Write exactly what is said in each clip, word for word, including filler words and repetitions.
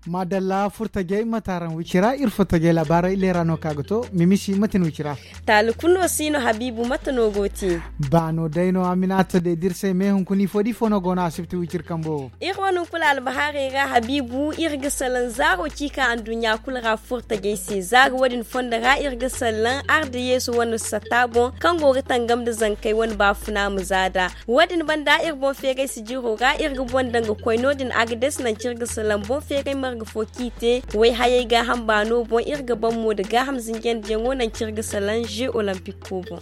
Maadalla furtajey mate araŋ wicira iri furtajey labaarey leera no ka ga to. Mimisi mate ni wicira? Taali kulu no si no habiibu mate no go te? Baano day no aminaata de da iri se me hunkuna ifo da ifo no go no asibti wiciri kambo. Iri wane hunkuna albahaarey ra habiibu iri ga salaŋ zaaro ciika anduɲɲa kulu ra furtajey se zaaro wo- din fondo ra iri ga salaŋ arda yeesu wane satta boŋ kaŋ go ga tangam nda zankey wane baafuna ma zaada. Wo- din banda iri boŋ feeray sijiro ra iri ga boŋ daŋ ga koy no- din a ga deesi nangu kaŋ iri ga salaŋ boŋ feeray marga fo kaŋ i te wayhayey gaaham baano boŋ iri ga baŋ mo nda gaaham zinjandiyaŋo nangu kaŋ iri ga salaŋ ze olompico boŋ.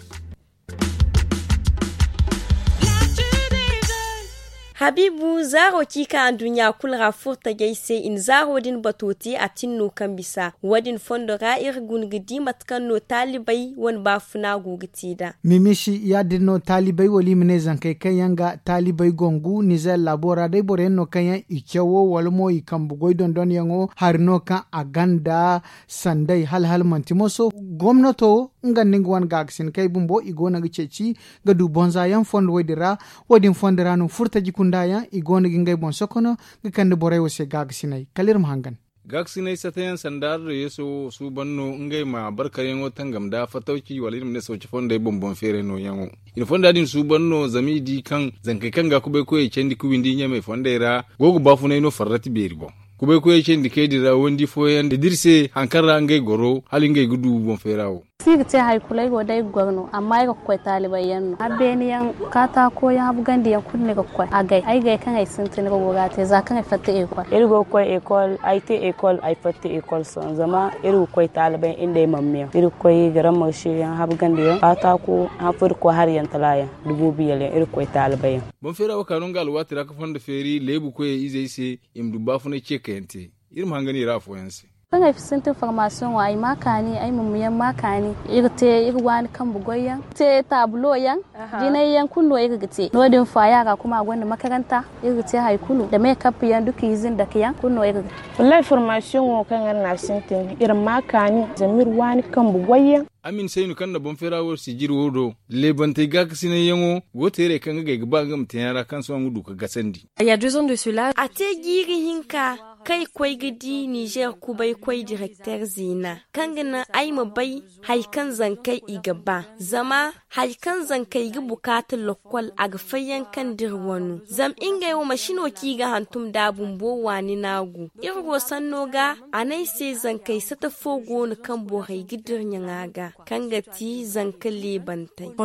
Habiibu zaaro ciika anduɲɲa kulu ra furtajey se i na zaaro din bato te a tin no kaŋ bisa wo- din fondo ra iri guna ga di mate kaŋ no taalibey wane baafuna go ga te nd'a. Mimisi ya- din no taalibey wala i ma ne zankey kaŋ yaŋ ga taalibey gongu nizer laabo ra day boro yaŋ no kaŋ yaŋ i cawo wala mo i kambe goy dondonyaŋo hari no kaŋ a ganda sanday hala hala manti moso gomnato nga nda nga wane gaakasinakey bumbo i go no ga ceeci ga du bonza yaŋ fondo wo- din ra. Wo- din fondo ra no furtaji kunda yaŋ i go no ga ngey boŋ sokono ga kande borey wo se gaakasinay kala iri ma hangan. Gaakasinay satayaŋ sanda arda yeeso wo suuban no ngey ma barkaryaŋo tangam nda fatawci wala iri ma ne sawci fondey boŋ boŋ feeray nooyaŋo. I na fonda din suuban no zama i di kaŋ zankey kaŋ ga kubaykoyey candi ga windi ɲamey fondey ra go ga baafunay no farrati beeri boŋ. Kubaykoyey candi kay din ra wandi fooyaŋ da iri se hari kaŋ ra ngey goro hala ngey ga du boŋ feera wo. Si ga te hari kulu ay go day ga goro no amma ay ga koy taalibay yaŋ no a beeni yaŋ kaataako yaŋ habu gandi yaŋ kulu ni ga koy a gay ay gay kaŋ ay sintin ga go ga a te za kaŋ ay fatta ekol. Iri go ga koy ekol ay te ekol ay fatta ekol sohõ zama iri ga koy taalibay nda ay mamma yaŋ iri ga koy garamma ga se yaŋ habu gandi yaŋ kaataako han fo iri ga koy hari yaŋ tala yaŋ da boobo yala yaŋ iri ga koy taalibay yaŋ. Boŋ feera wo ka no nga alwaati ra ga fondo feeri leebu koyey izey se i ma du baafunay ce kayaŋ te. Iri ma hangan i ra afooyaŋ se. Kaŋ ay sintin formation wo ay ma kaani ay ma muyaŋ ma kaani iri te iri waani kambe goy yaŋ te taabulo yaŋ jinay yaŋ kulu no iri ga te no- din faaya ra kuma gonda makaranta iri ga te hari kulu da me kappi yaŋ da kiizin dake yaŋ kulu no iri ga te. Wallahi formation wo kaŋ iri na a sintin iri ma kaani zama iri waani kambe goy yaŋ. Amin saynu kaŋ na boŋ feera wo sijiri wo do leebantey gaakasinayyaŋo go teerey kaŋ ga gay ga ba nga ma teeyaŋ ra kaŋ sohõ nga du ga gasandi. A te jiiri hinka kaŋ ay koy ga di nizer kubaykoy direkter zeena kaŋ ga naŋ ay ma bay hari kaŋ zankey i ga ba zama hari kaŋ zankey ga bukaata lokkol a ga fayyaŋ kaŋ da iri wano zama ngey wo mansi no kaŋ i ga hantum nd'a bumbo waani naagu iri wo sanno ga a ne ay se zankey sata fo go no kaŋ borey ga dira ɲaŋa ga kaŋ ga ti zanka leebantey.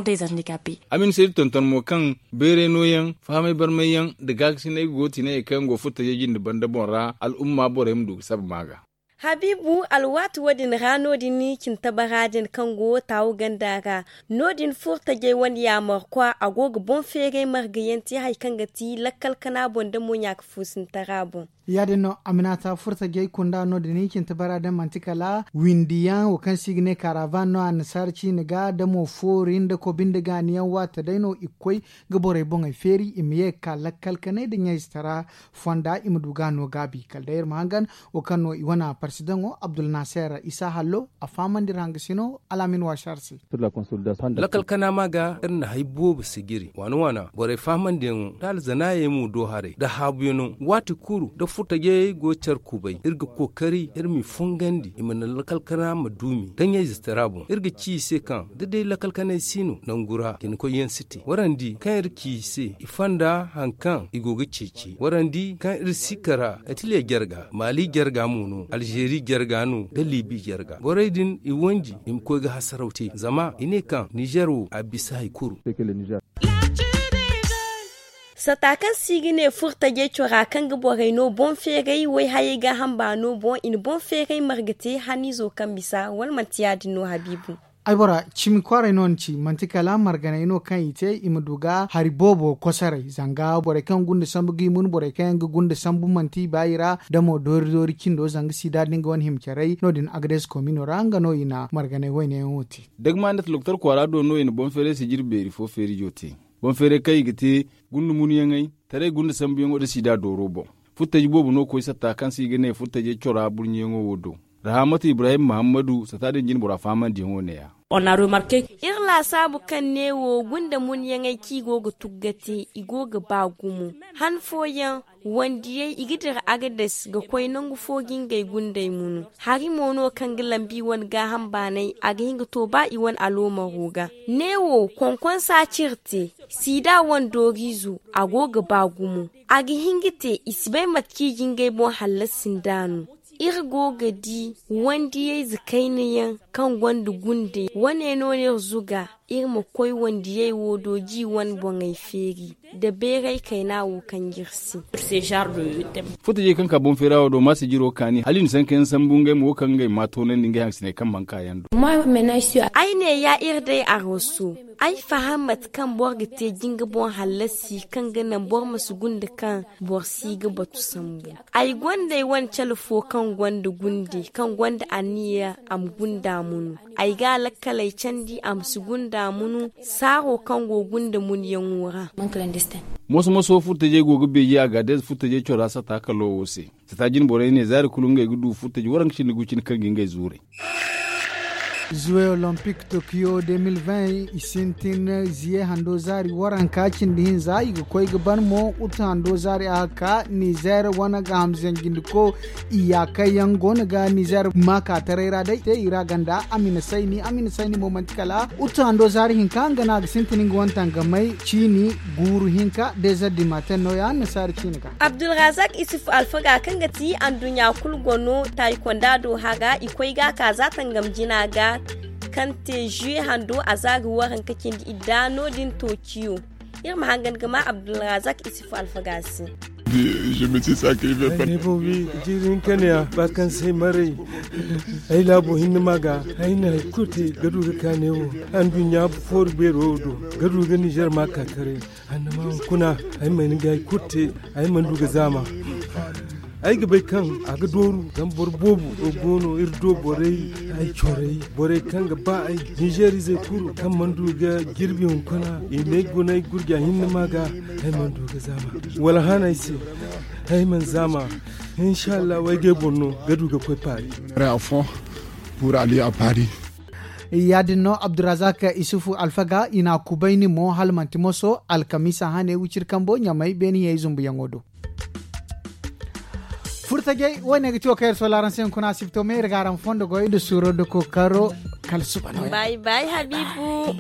Amin se iri tonton mo kaŋ bayray nooyaŋ fahamay barmayyaŋ nda gaakasinay go ti ne hari kaŋ yaŋ go furtajey jinde banda boŋ ra al'umma borey ma du ga saba ma ga. Habiibu alwaati wo- din ra no- din cintabara din kaŋ go taawu ganda ra no- din furtajey wane yaamarkwa a go ga boŋ feeray margayaŋ te hari kaŋ ga ti lakkal kana boŋ da mo ɲaaka fuusintara boŋ. Ya- din no a ma ne a ta furtajey kunda no- din cintabara din manti kala windiyaŋ wo kaŋ se i ga ne karavan no annasaara ciine ga da mo foori nda kobi nda gaaniyaŋ waate day no i ga koy ga borey boŋey feeri i ma ye ga ka lakkal kanay nda ɲayzitara fonda i ma du ga no gaabi kala day iri ma hangan wo kaŋ no i wane parsidaŋo abdulnaser isa hallo a fahamandi iri hangasino alaamin waasi hari se. Lakkal kana ma ga iri na hari boobo sijiri waana waana borey fahamandiyaŋo da alzanaayey mo do haray nda haabuyaŋo waati kulu da furtajey go care kubay iri ga kookari iri m'i fongandi i ma naŋ lakkal kana ma duumi da ɲayzitara boŋ iri ga ci i se kaŋ da day lakkal kanay si no nangu ra cine koyyaŋ si te warandi kaŋ iri ci i se i fonda hari kaŋ i go ga ceeci warandi kaŋ iri si kara atiliya jarga maali jarga mo no alzeeri jarga no nda liibi jarga borey din i wanji i ma koy ga hasaraw te zama i ne kaŋ nizer wo a bisa hari kulu. Sata kaŋ se i ga ne furtajey cora kaŋ ga borey no boŋ feeray wayhayey gaaham baano boŋ i na boŋ feeray marga te haniizo kaŋ bisa wala manti ya- din no habiibu? Ay bora cimi kwaaray no ni ci manti kala marganay no kaŋ i te i ma du ga hari boobo kosoray zanga borey kaŋ gunda sambu ga i mun borey kaŋ yaŋ ga gunda sambu manti i ba i ra da mo doori doori cindo zanga sida da nga wane hima caray no- din agades komino ra nga no i na marganay wayne yaŋo te. Dagma nda taloktor kwaara do no i na boŋ feeray sijiri beeri fo feerijo te. Boŋ feeray kaŋ i ga te gunda munyaŋey, taray gunda sambuyaŋo nda siida dooro boŋ. Furtaji boobo no koy satta kaŋ se i ga ne furtajey cora burɲiyaŋo wo do. Rahamatu ibrahim muhammadu satta din jinbora fahamandiyaŋo neeya. Iri laasaabu kaŋ neewo gunda munyaŋey kaŋ i go ga tugga te, i go ga ba gumo. Han fooyaŋ wandiyey i ga dira agades ga koy nangu fo ga ngey gundey munu. Hari mo no kaŋ ga lambi wane gaaham baanay a ga hin ga to ba i wane aloomaro ga. Neewo konkonsa cire te, siida wane dooriizo a go ga ba gumo. A ga hin ga te i si bay mate kaŋ i ga ngey boŋ hallasi nd'a no. Iri go ga di wandiyayze kayna yaŋ kaŋ gonda gundey wane no no iri zuga iri ma koy wandiyey wo do ga i wane boŋey feeri nda beeray kayna wo kaŋ ga iri se. Furtajey kaŋ ka boŋ feera wo do maasa jiro kaani hala i na sanka yaŋ sambu ngey ma wo kaŋ ngey ma toonandi ngey hangasiney kaŋ mana ka yaŋ do. Ay ne ya iri day araso. Ay faham mate kaŋ boro ga te jinga boŋ hallasi kaŋ ga naŋ boro ma si gunda kaŋ boro si ga batu sambu. Ay gonda ay wane cale fo kaŋ gonda gunde kaŋ gonda anniya a ma gunda munu. Ay ga a lakkaley candi a ma si gunda munu saaro kaŋ go gunda munyaŋo ra. Moso moso furtajey go ga beeji a ga deeza furtajey cora satta kalo wo se. Satta jinborey ne zaari kulu ngey ga du furtaji waranka cindi gu cine kaŋ ga ngey zuuray. Zuwe olompic tokiyo de mil vingt i sintin ziye hando zaari waranka cindi hinza i ga koy ga ban mo utu hando zaari a ga ka nizer wane ga hamzanjindiko. Iyaakay yaŋ go no ga nizer maaka taray ra day te i ra ganda amina sayni amina sayni mo manti kala utu hando zaari hinka nga no a ga sintin nga wane tangamay ciini guuru hinka dezer dimaten no ya annasaari ciini ga. Abdulrazak isuf alfaga kaŋ ga ti anduɲɲa kulu gono taayikonda do hara i koy ga a ka za tangam jina ga kaŋ te zuwe hando a za ga waranka cindi idda no- din toociyo. Iri ma hangan ga ma abdulrazak isuf alfaga se. Ay ne boobi jiiri hinka ne ya ba kaŋ se ay maray. Ay laabo hinne ma ga ay na hari kulu te ga du ga ka ne wo anduɲɲa fooru beero wo do ga du ga nizer ma ka taray. Annama hunkuna ay mana ga ay kulu te ay mana du ga zaama. Ay ga bay kaŋ a ga dooru zama boro boobo go no iri do borey ay corey borey kaŋ ga ba ay nizerizey kulu kaŋ mana du ga jirbi hunkuna i ne ay guna ay gurja hinne ma ga. Ay mana du ga zaama wala hana ay se. Ay mana zaama. Inshallah ay ga ay boŋ no ga du ga koy paari. Pour aller à Paris. Ya- din no abdurazak isufu alfaga i na a kubayni mo hala manti moso alkamiisa hane wiciri kambo ɲamay beeni hiyey zumbuyaŋo do. Furtajey wo- ne ga ti wo kaŋ iri sola araŋ se hunkuna asibto me iri ga araŋ fondo goy nda suuro nda kookaro. Kala suba no bay bay habiibu.